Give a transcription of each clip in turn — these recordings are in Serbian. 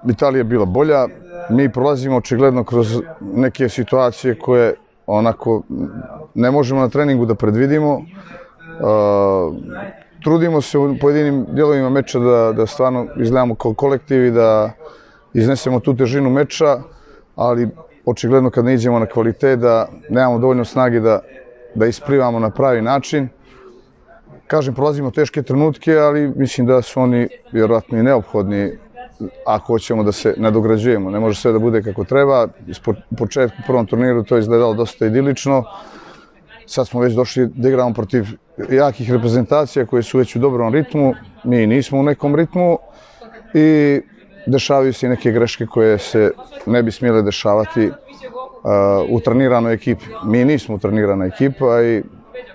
Italija je bila bolja, mi prolazimo očigledno kroz neke situacije koje onako ne možemo na treningu da predvidimo. Trudimo se u pojedinim dijelovima meča da stvarno izgledamo kao kolektiv i da iznesemo tu težinu meča, ali očigledno kad ne iđemo na kvalitet da nemamo dovoljno snage da isplivamo na pravi način. Kažem, prolazimo teške trenutke, ali mislim da su oni vjerojatno i neophodni ako hoćemo da se nadograđujemo. Ne može sve da bude kako treba. U početku u prvom turniru to je izgledalo dosta idilično. Sad smo već došli da igramo protiv jakih reprezentacija koje su već u dobrom ritmu. Mi nismo u nekom ritmu i dešavaju se i neke greške koje se ne bi smjele dešavati u treniranoj ekipi. Mi nismo trenirana ekipa i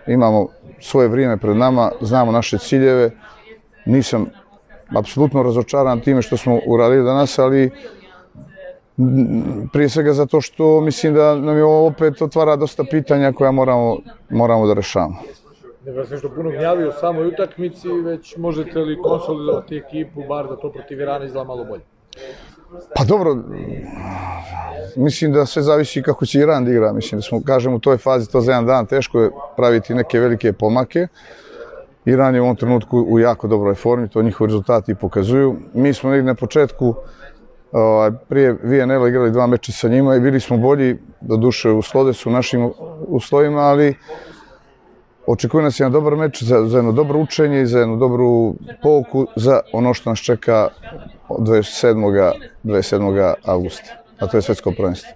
imamo svoje vrijeme pred nama, znamo naše ciljeve. Nisam apsolutno razočaran time što smo uradili danas, ali prije svega zato što mislim da nam je ovo opet otvara dosta pitanja koja moramo da rešavamo. Ne vas nešto puno gnjavi o samoj utakmici, već možete li konsolidovati ekipu, bar da to protiv Irana izgleda malo bolje? Pa dobro, mislim da sve zavisi kako će Iran da igra. Mislim da smo, kažem, u toj fazi to za jedan dan teško je praviti neke velike pomake. Iran je u ovom trenutku u jako dobroj formi, to njihovi rezultati pokazuju. Mi smo negdje na početku prije VNL igrali 2 meča sa njima i bili smo bolji, doduše u Slodesu, u našim uslovima, ali očekuje nas jedan dobar meč za jedno dobro učenje i za jednu dobru pouku za ono što nas čeka od 27. avgusta, a to je svetsko prvenstvo.